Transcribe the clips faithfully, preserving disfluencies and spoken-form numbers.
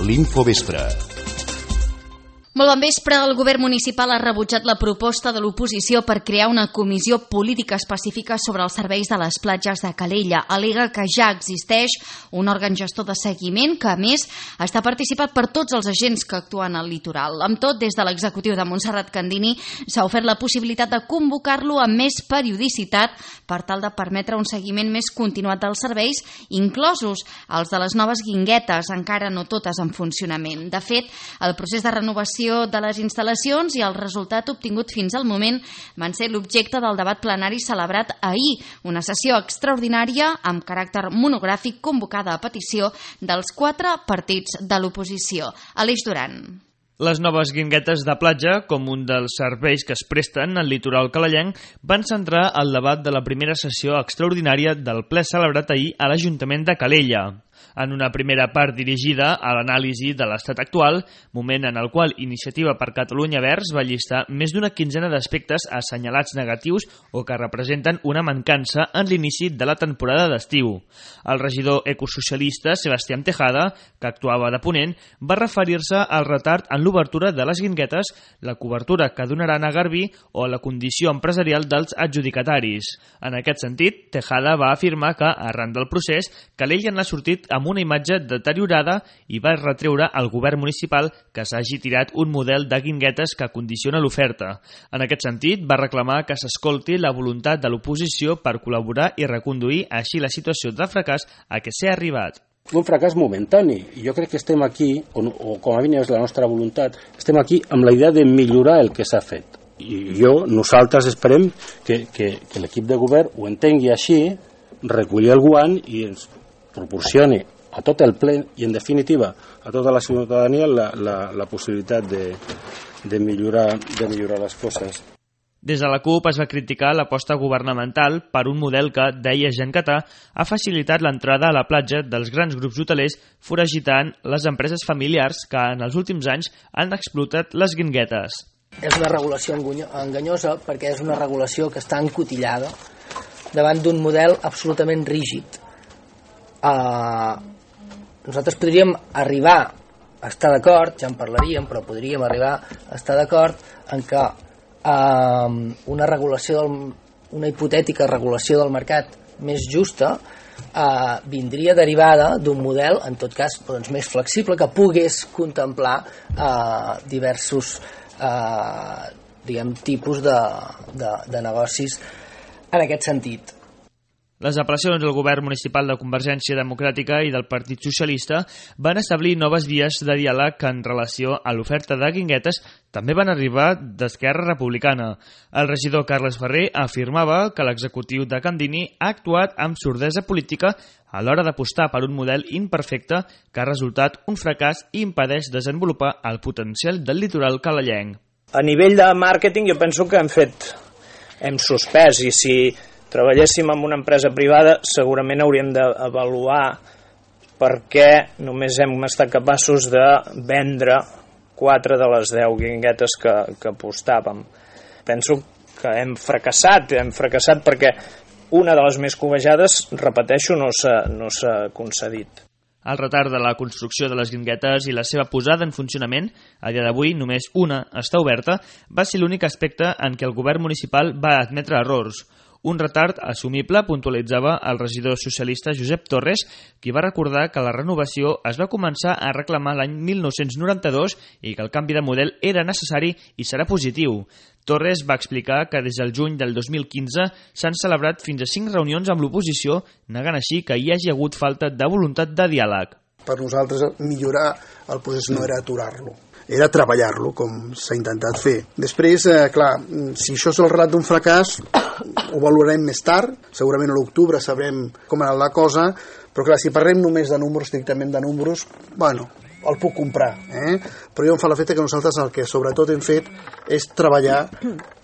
l'Infovespre. Molt bon vespre. El govern municipal ha rebutjat la proposta de l'oposició per crear una comissió política específica sobre els serveis de les platges de Calella. Al·lega que ja existeix un òrgan gestor de seguiment que, a més, està participat per tots els agents que actuen al litoral. Amb tot, des de l'executiu de Montserrat Candini s'ha ofert la possibilitat de convocar-lo amb més periodicitat per tal de permetre un seguiment més continuat dels serveis, inclosos els de les noves guinguetes, encara no totes en funcionament. De fet, el procés de renovació de les instal·lacions i el resultat obtingut fins al moment van ser l'objecte del debat plenari celebrat ahir, una sessió extraordinària amb caràcter monogràfic convocada a petició dels quatre partits de l'oposició. Aleix Duran. Les noves guinguetes de platja, com un dels serveis que es presten al litoral calellenc, van centrar el debat de la primera sessió extraordinària del ple celebrat ahir a l'Ajuntament de Calella. En una primera part dirigida a l'anàlisi de l'estat actual, moment en el qual Iniciativa per Catalunya Verds va llistar més d'una quinzena d'aspectes assenyalats negatius o que representen una mancança en l'inici de la temporada d'estiu. El regidor ecosocialista Sebastián Tejada, que actuava de ponent, va referir-se al retard en l'obertura de les guinguetes, la cobertura que donaran a Garbí o la condició empresarial dels adjudicataris. En aquest sentit, Tejada va afirmar que, arran del procés, Calella n'ha sortit amb una imatge deteriorada i va retreure al govern municipal que s'hagi tirat un model de guinguetes que condiciona l'oferta. En aquest sentit, va reclamar que s'escolti la voluntat de l'oposició per col·laborar i reconduir així la situació de fracàs a què s'ha arribat. Un fracàs momentani, i jo crec que estem aquí, o, o com a mínim és la nostra voluntat, estem aquí amb la idea de millorar el que s'ha fet. I jo, nosaltres esperem que, que, que l'equip de govern ho entengui així, reculli el guant i ens proporcioni a tot el ple i, en definitiva, a tota la ciutadania la, la, la possibilitat de, de, millorar, de millorar les coses. Des de la CUP es va criticar l'aposta governamental per un model que, deia Jean Catà, ha facilitat l'entrada a la platja dels grans grups hotelers foragitant les empreses familiars que en els últims anys han explotat les guinguetes. És una regulació enganyosa perquè és una regulació que està encotillada davant d'un model absolutament rígid. Uh, nosaltres podríem arribar a estar d'acord, ja en parlaríem, però podríem arribar a estar d'acord en que uh, una regulació del, una hipotètica regulació del mercat més justa uh, vindria derivada d'un model, en tot cas, doncs, més flexible, que pogués contemplar uh, diversos uh, diguem, tipus de, de, de negocis en aquest sentit. Les apel·lacions del govern municipal de Convergència Democràtica i del Partit Socialista van establir noves vies de diàleg en relació a l'oferta de guinguetes també van arribar d'Esquerra Republicana. El regidor Carles Ferrer afirmava que l'executiu de Candini ha actuat amb sordesa política a l'hora d'apostar per un model imperfecte que ha resultat un fracàs i impedeix desenvolupar el potencial del litoral calellenc. A nivell de màrqueting jo penso que hem fet, hem suspès, i si treballéssim en una empresa privada segurament hauríem d'avaluar per què només hem estat capaços de vendre quatre de les deu guinguetes que, que apostàvem. Penso que hem fracassat, hem fracassat perquè una de les més covejades, repeteixo, no s'ha no s'ha concedit. El retard de la construcció de les guinguetes i la seva posada en funcionament, a dia d'avui només una està oberta, va ser l'únic aspecte en què el govern municipal va admetre errors. Un retard assumible, puntualitzava el regidor socialista Josep Torres, qui va recordar que la renovació es va començar a reclamar l'any mil nou-cents noranta-dos i que el canvi de model era necessari i serà positiu. Torres va explicar que des del juny del dos mil quinze s'han celebrat fins a cinc reunions amb l'oposició, negant així que hi hagi hagut falta de voluntat de diàleg. Per nosaltres millorar el procés no era aturar-lo, era treballar-lo, com s'ha intentat fer. Després, eh, clar, si això és el relat d'un fracàs, ho valorarem més tard, segurament a l'octubre sabrem com era la cosa, però clar, si parlem només de números, estrictament de números, bueno, el puc comprar, eh? Però jo em fa l'efecte que nosaltres el que sobretot hem fet és treballar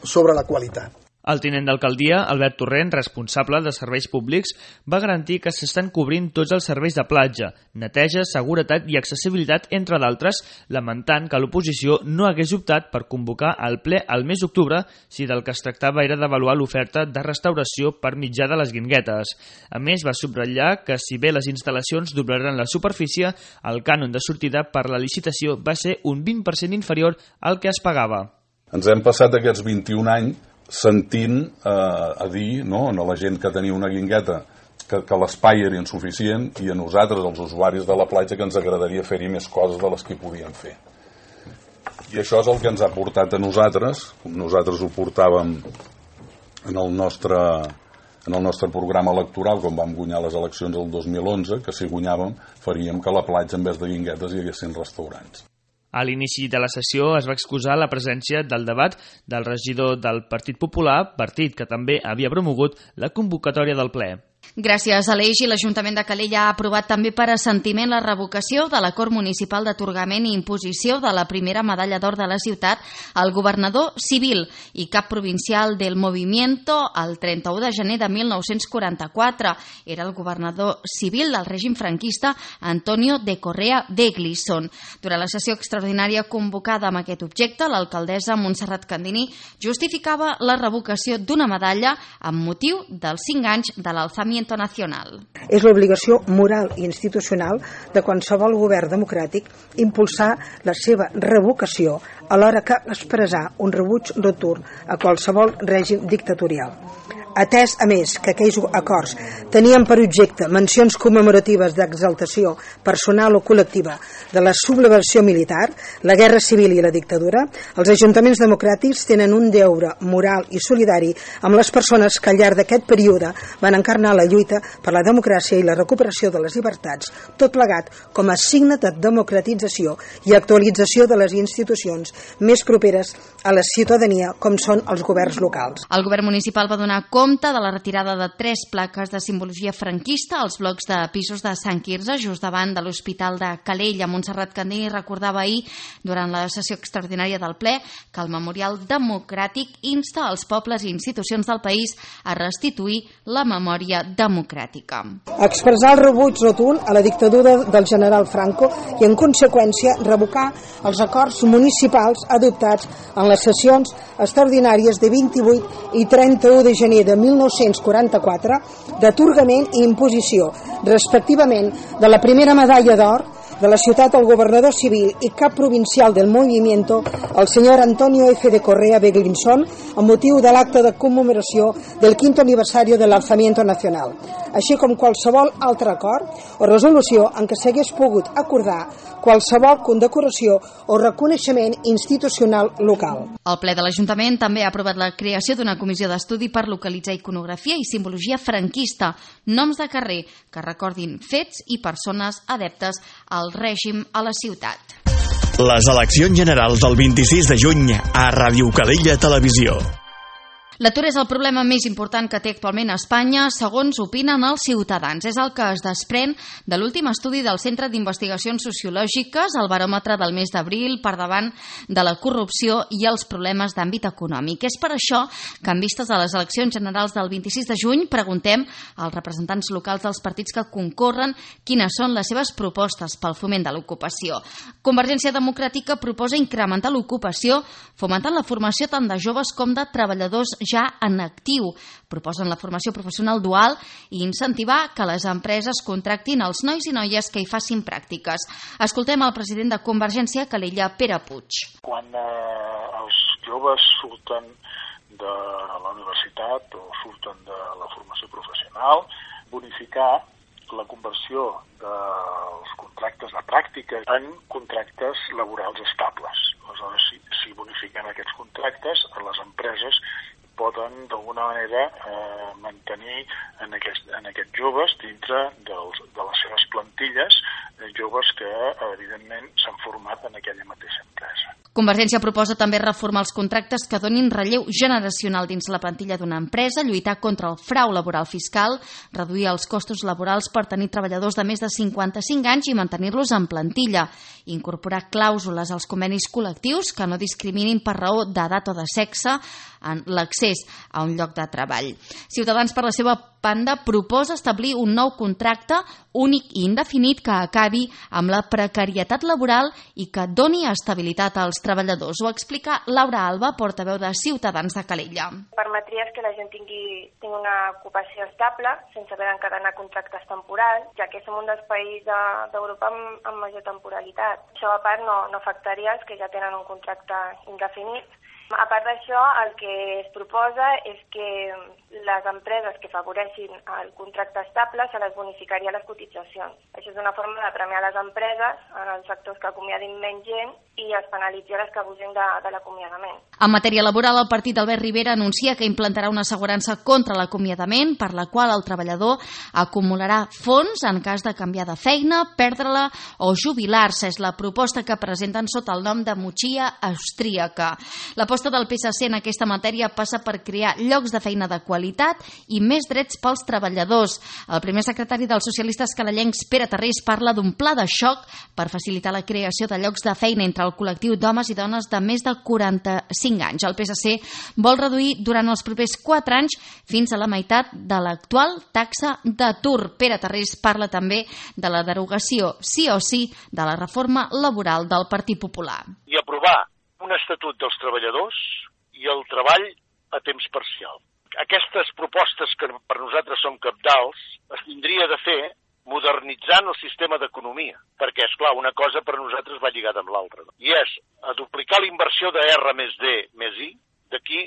sobre la qualitat. El tinent d'alcaldia, Albert Torrent, responsable de serveis públics, va garantir que s'estan cobrint tots els serveis de platja, neteja, seguretat i accessibilitat, entre d'altres, lamentant que l'oposició no hagués optat per convocar el ple al mes d'octubre si del que es tractava era d'avaluar l'oferta de restauració per mitjà de les guinguetes. A més, va subratllar que si bé les instal·lacions doblaran la superfície, el cànon de sortida per la licitació va ser un vint per cent inferior al que es pagava. Ens hem passat aquests vint-i-un anys sentint eh, a dir no, a la gent que tenia una guingueta que, que l'espai era insuficient i a nosaltres, els usuaris de la platja, que ens agradaria fer-hi més coses de les que podíem fer. I això és el que ens ha portat a nosaltres, nosaltres ho portàvem en el nostre, en el nostre programa electoral, quan vam guanyar les eleccions el dos mil onze, que si guanyàvem faríem que a la platja, en vez de guinguetes, hi haguessin restaurants. A l'inici de la sessió es va excusar la presència del debat del regidor del Partit Popular, partit que també havia promogut la convocatòria del ple. Gràcies a l'Eix, l'Ajuntament de Calella ha aprovat també per assentiment la revocació de l'acord municipal d'atorgament i imposició de la primera medalla d'or de la ciutat al governador civil i cap provincial del Movimiento el trenta-u de gener de mil nou-cents quaranta-quatre. Era el governador civil del règim franquista Antonio de Correa de Glisson. Durant la sessió extraordinària convocada amb aquest objecte, l'alcaldessa Montserrat Candini justificava la revocació d'una medalla amb motiu dels cinc anys de l'alzamiento nacional. És l'obligació moral i institucional de qualsevol govern democràtic impulsar la seva revocació alhora que expressar un rebuig rotund a qualsevol règim dictatorial. Atès, a més, que aquells acords tenien per objecte mencions commemoratives d'exaltació personal o col·lectiva de la sublevació militar, la guerra civil i la dictadura, els ajuntaments democràtics tenen un deure moral i solidari amb les persones que al llarg d'aquest període van encarnar la lluita per la democràcia i la recuperació de les llibertats, tot plegat com a signe de democratització i actualització de les institucions més properes a la ciutadania, com són els governs locals. El govern municipal va donar compte de la retirada de tres plaques de simbologia franquista als blocs de pisos de Sant Quirze, just davant de l'Hospital de Calella. Montserrat Candini recordava ahir, durant la sessió extraordinària del ple, que el Memorial Democràtic insta als pobles i institucions del país a restituir la memòria democràtica. Expressar el rebuig rotund a la dictadura del general Franco i, en conseqüència, revocar els acords municipals adoptats en les sessions extraordinàries de vint-i-vuit i trenta-u de gener de mil nou-cents quaranta-quatre d'atorgament i imposició, respectivament, de la primera medalla d'or de la ciutat al governador civil i cap provincial del Movimiento, el senyor Antonio F. de Correa de Glisson, amb motiu de l'acte de commemoració del quinto aniversario del alzamiento nacional, així com qualsevol altre acord o resolució en què s'hagués pogut acordar qualsevol condecoració o reconeixement institucional local. El ple de l'Ajuntament també ha aprovat la creació d'una comissió d'estudi per localitzar iconografia i simbologia franquista, noms de carrer que recordin fets i persones adeptes al règim a la ciutat. Les eleccions generals del vint-i-sis de juny a Ràdio Calella Televisió. L'atur és el problema més important que té actualment a Espanya, segons opinen els ciutadans. És el que es desprèn de l'últim estudi del Centre d'Investigacions Sociològiques, el baròmetre del mes d'abril, per davant de la corrupció i els problemes d'àmbit econòmic. És per això que, en vistes a les eleccions generals del vint-i-sis de juny, preguntem als representants locals dels partits que concorren quines són les seves propostes pel foment de l'ocupació. Convergència Democràtica proposa incrementar l'ocupació, fomentant la formació tant de joves com de treballadors ja en actiu. Proposen la formació professional dual i incentivar que les empreses contractin els nois i noies que hi facin pràctiques. Escoltem el president de Convergència, Calella, Pere Puig. Quan eh, els joves surten de la universitat o surten de la formació professional, bonificar la conversió dels contractes de pràctica en contractes laborals estables. Aleshores, si, si bonifiquen aquests contractes, les empreses poden d'alguna manera eh, mantenir en, aquest, en aquests joves dintre dels, de les seves plantilles, eh, joves que evidentment s'han format en aquella mateixa empresa. Convergència proposa també reformar els contractes que donin relleu generacional dins la plantilla d'una empresa, lluitar contra el frau laboral fiscal, reduir els costos laborals per tenir treballadors de més de cinquanta-cinc anys i mantenir-los en plantilla, incorporar clàusules als convenis col·lectius que no discriminin per raó d'edat o de sexe, en l'accés a un lloc de treball. Ciutadans, per la seva banda, proposa establir un nou contracte únic i indefinit que acabi amb la precarietat laboral i que doni estabilitat als treballadors. Ho explica Laura Alba, portaveu de Ciutadans de Calella. Permetria que la gent tingui, tingui una ocupació estable, sense haver d'encadenar contractes temporals, ja que som un dels països d'Europa amb, amb major temporalitat. Això, a part, no, no afectaria els que ja tenen un contracte indefinit. A part d'això, el que es proposa és que les empreses que afavoreixin el contracte estable se les bonificaria les cotitzacions. Això és una forma de premiar les empreses en els sectors que acomiadin menys gent i es penalitzi les que abusin de, de l'acomiadament. En matèria laboral, el partit d'Albert Rivera anuncia que implantarà una assegurança contra l'acomiadament, per la qual el treballador acumularà fons en cas de canviar de feina, perdre-la o jubilar-se. És la proposta que presenten sota el nom de motxilla austríaca. L'aposta del P S C en aquesta matèria passa per crear llocs de feina de qualitat i més drets pels treballadors. El primer secretari dels socialistes calellencs, Pere Tarrés, parla d'un pla de xoc per facilitar la creació de llocs de feina entre el col·lectiu d'homes i dones de més de quaranta-cinc anys. El P S C vol reduir durant els propers quatre anys fins a la meitat de l'actual taxa d'atur. Pere Tarrés parla també de la derogació, sí o sí, de la reforma laboral del Partit Popular. I aprovar un estatut dels treballadors i el treball a temps parcial. Aquestes propostes que per nosaltres són cabdals es tindria de fer modernitzant el sistema d'economia, perquè, és clar, una cosa per nosaltres va lligada amb l'altra. I és a duplicar la inversió de R més D més I d'aquí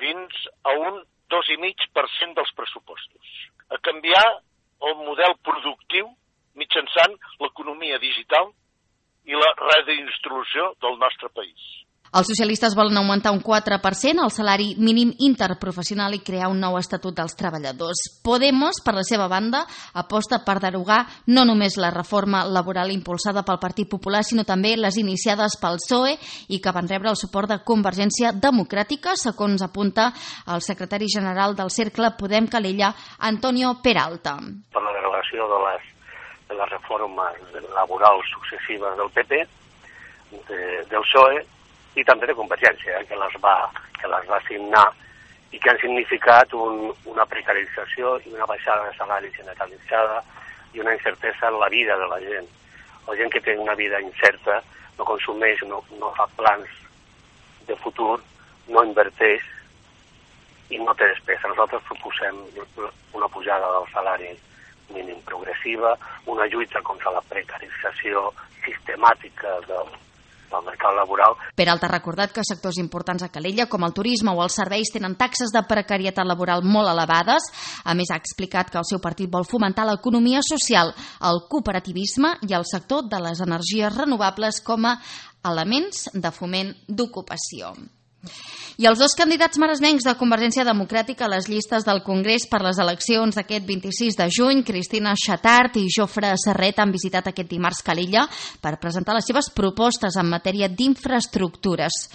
fins a un dos coma cinc per cent dels pressupostos. A canviar el model productiu mitjançant l'economia digital i la redistribució del nostre país. Els socialistes volen augmentar un quatre per cent el salari mínim interprofessional i crear un nou estatut dels treballadors. Podemos, per la seva banda, aposta per derogar no només la reforma laboral impulsada pel Partit Popular, sinó també les iniciades pel P S O E i que van rebre el suport de Convergència Democràtica, segons apunta el secretari general del Cercle Podem Calella, Antonio Peralta. Per la derogació de les, de les reformes laborals successives del P P, de, del P S O E, i també de Convergència, eh, que, les va, que les va signar i que han significat un, una precarització i una baixada de salari generalitzada i una incertesa en la vida de la gent. La gent que té una vida incerta no consumeix, no, no fa plans de futur, no inverteix i no té despesa. Nosaltres proposem una pujada del salari mínim progressiva, una lluita contra la precarització sistemàtica del del mercat laboral. Peralta ha recordat que sectors importants a Calella, com el turisme o els serveis, tenen taxes de precarietat laboral molt elevades. A més, ha explicat que el seu partit vol fomentar l'economia social, el cooperativisme i el sector de les energies renovables com a elements de foment d'ocupació. I els dos candidats maresmencs de Convergència Democràtica a les llistes del Congrés per les eleccions d'aquest vint-i-sis de juny, Cristina Xatart i Jofre Serret, han visitat aquest dimarts Calella per presentar les seves propostes en matèria d'infraestructures.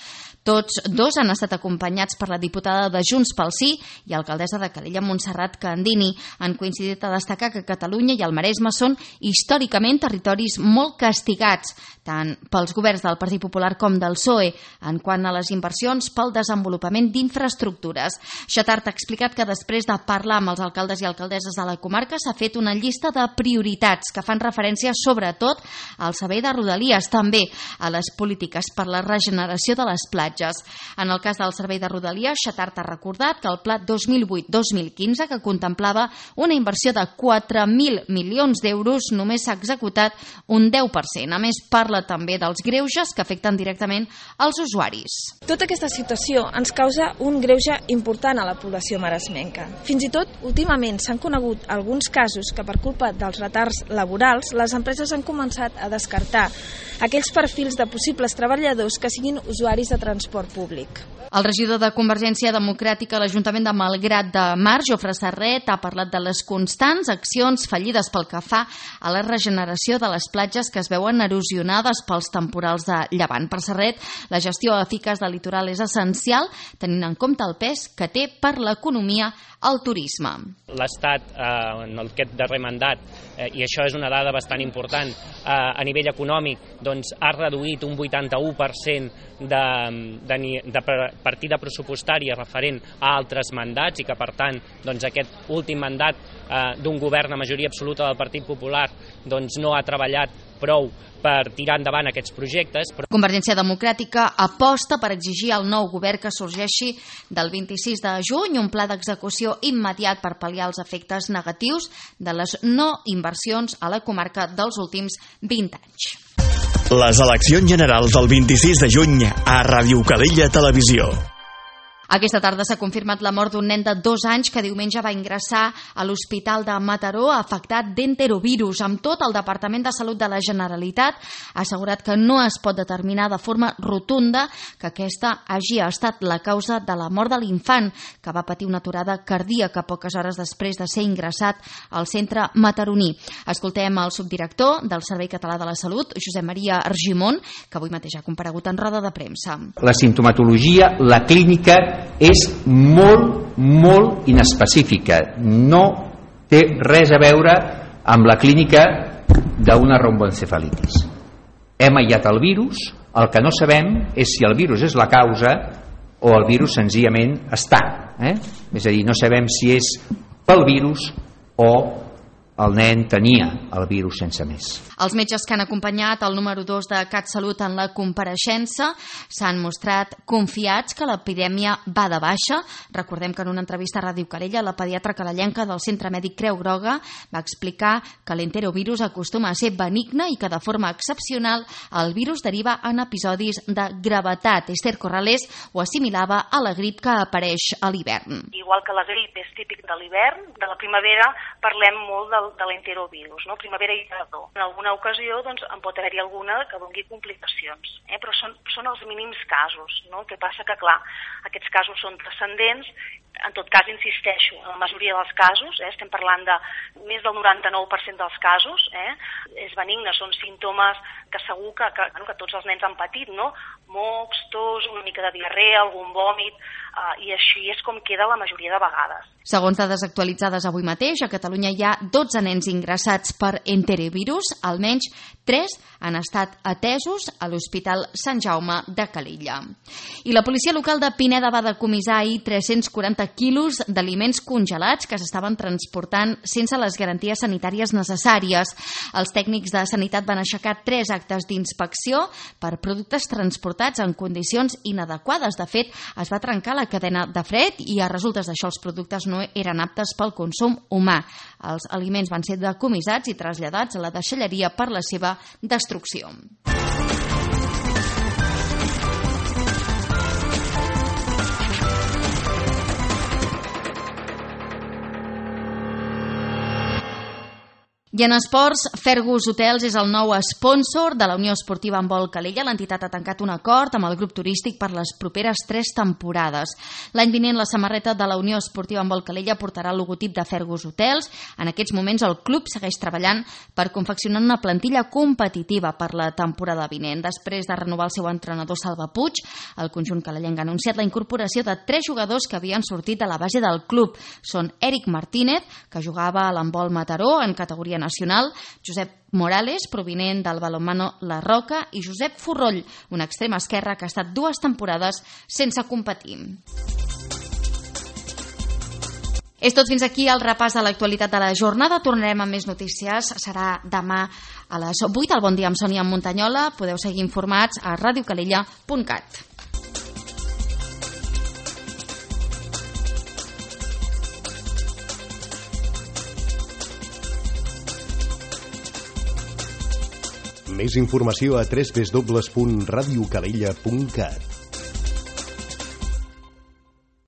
Tots dos han estat acompanyats per la diputada de Junts pel Sí i alcaldessa de Calella, Montserrat Candini. Han coincidit a destacar que Catalunya i el Maresme són històricament territoris molt castigats, tant pels governs del Partit Popular com del P S O E, en quant a les inversions pel desenvolupament d'infraestructures. Xatart ha explicat que després de parlar amb els alcaldes i alcaldesses de la comarca s'ha fet una llista de prioritats que fan referència sobretot al servei de Rodalies, també a les polítiques per la regeneració de les platges. En el cas del servei de Rodalies, Xatart ha recordat que el pla dos mil vuit dos mil quinze, que contemplava una inversió de quatre mil milions d'euros, només s'ha executat un deu per cent. A més, parla també dels greuges que afecten directament als usuaris. Tota aquesta situació ens causa un greuge important a la població maresmenca. Fins i tot, últimament s'han conegut alguns casos que per culpa dels retards laborals les empreses han començat a descartar aquells perfils de possibles treballadors que siguin usuaris de transport públic. El regidor de Convergència Democràtica a l'Ajuntament de Malgrat de Mar, Jofre Serret, ha parlat de les constants accions fallides pel que fa a la regeneració de les platges que es veuen erosionades pels temporals de llevant. Per Serret, la gestió eficaç del litoral és essencial, tenint en compte el pes que té per l'economia el turisme. L'Estat, eh, en aquest darrer mandat, eh, i això és una dada bastant important, eh, a nivell econòmic, doncs, ha reduït un vuitanta-u per cent de, de, de partida pressupostària referent a altres mandats i que, per tant, doncs, aquest últim mandat eh, d'un govern a majoria absoluta del Partit Popular doncs, no ha treballat prou per tirar endavant aquests projectes. Però... Convergència Democràtica aposta per exigir al nou govern que sorgeixi del vint-i-sis de juny un pla d'execució immediat per pal·liar els efectes negatius de les no inversions a la comarca dels últims vint anys. Les eleccions generals del vint-i-sis de juny a Ràdio Calella Televisió. Aquesta tarda s'ha confirmat la mort d'un nen de dos anys que diumenge va ingressar a l'Hospital de Mataró afectat d'enterovirus. Amb tot, el Departament de Salut de la Generalitat ha assegurat que no es pot determinar de forma rotunda que aquesta hagi estat la causa de la mort de l'infant, que va patir una aturada cardíaca poques hores després de ser ingressat al centre mataroní. Escoltem el subdirector del Servei Català de la Salut, Josep Maria Argimon, que avui mateix ha comparegut en roda de premsa. La simptomatologia, la clínica, és molt, molt inespecífica. No té res a veure amb la clínica d'una romboencefalitis. Hem aïllat el virus, el que no sabem és si el virus és la causa o el virus senzillament està. Eh? És a dir, no sabem si és pel virus o el nen tenia el virus sense més. Els metges que han acompanyat el número dos de CatSalut en la compareixença s'han mostrat confiats que l'epidèmia va de baixa. Recordem que en una entrevista a Ràdio Calella, la pediatra calellenca del Centre Mèdic Creu Groga va explicar que l'enterovirus acostuma a ser benigne i que de forma excepcional el virus deriva en episodis de gravetat. Esther Corrales ho assimilava a la grip que apareix a l'hivern. Igual que la grip és típic de l'hivern, de la primavera parlem molt del de l'enterovirus, no? Primavera i tardor. En alguna ocasió doncs, en pot haver-hi alguna que doni complicacions, eh? Però són, són els mínims casos, no? El que passa que, clar, aquests casos són transcendents. En tot cas, insisteixo, en la majoria dels casos, eh, estem parlant de més del noranta-nou per cent dels casos, eh, és benigne, són símptomes que segur que, que, que tots els nens han patit, no? Mocs, tos, una mica de diarrea, algun vòmit, eh, i així és com queda la majoria de vegades. Segons dades actualitzades avui mateix, a Catalunya hi ha dotze nens ingressats per enterovirus, almenys tres han estat atesos a l'Hospital Sant Jaume de Calella. I la policia local de Pineda va decomissar ahir tres-cents quaranta quilos d'aliments congelats que s'estaven transportant sense les garanties sanitàries necessàries. Els tècnics de sanitat van aixecar tres actes d'inspecció per productes transportats en condicions inadequades. De fet, es va trencar la cadena de fred i a resultes d'això els productes no eren aptes pel consum humà. Els aliments van ser decomissats i traslladats a la deixalleria per la seva destrucció. I en esports, Fergus Hotels és el nou sponsor de la Unió Esportiva Handbol Calella. L'entitat ha tancat un acord amb el grup turístic per les properes tres temporades. L'any vinent la samarreta de la Unió Esportiva Handbol Calella portarà el logotip de Fergus Hotels. En aquests moments el club segueix treballant per confeccionar una plantilla competitiva per la temporada vinent. Després de renovar el seu entrenador Salva Puig, el conjunt calellenc ha anunciat la incorporació de tres jugadors que havien sortit de la base del club. Són Eric Martínez, que jugava a l'handbol Mataró en categoria nacional, Josep Morales, provinent del balonmano La Roca, i Josep Forroll, un extrem esquerre que ha estat dues temporades sense competir. És tot fins aquí el repàs de l'actualitat de la jornada. Tornarem amb més notícies. Serà demà a les vuit. El Bon dia amb Sònia Montanyola. Podeu seguir informats a ràdio calella punt cat. Més informació a w w w punt radiocalella punt cat.